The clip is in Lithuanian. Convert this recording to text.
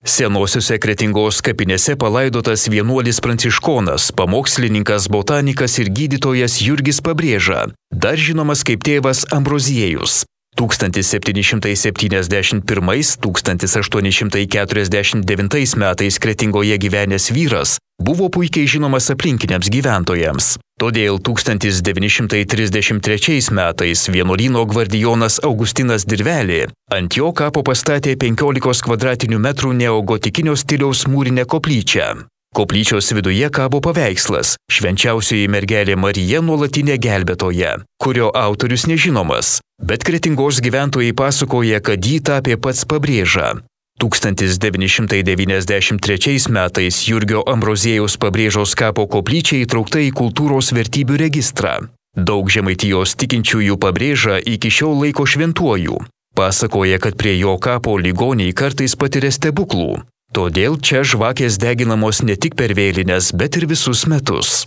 Senosiuose Kretingos kapinėse palaidotas vienuolis pranciškonas, pamokslininkas, botanikas ir gydytojas Jurgis Pabrėža, dar žinomas kaip tėvas Ambroziejus. 1771–1849 metais Kretingoje gyvenęs vyras buvo puikiai žinomas aplinkiniams gyventojams. Todėl 1933 metais vienuolyno gvardijonas Augustinas Dirvelė ant jo kapo pastatė 15 kvadratinių metrų neogotikinio stiliaus mūrinę koplyčią. Koplyčios viduje kabo paveikslas Švenčiausioji mergelė Marija nuolatinė gelbėtoja, kurio autorius nežinomas, bet Kretingos gyventojai pasakoja, kad jį tapė pats Pabrėža. 1993 metais Jurgio Ambroziejaus Pabrėžos kapo koplyčia įtraukta į kultūros vertybių registrą. Daug Žemaitijos tikinčiųjų Pabrėžą iki šiol laiko šventuoju. Pasakoja, kad prie jo kapo ligoniai kartais patiria stebuklų. Todėl čia žvakės deginamos ne tik per vėlines, bet ir visus metus.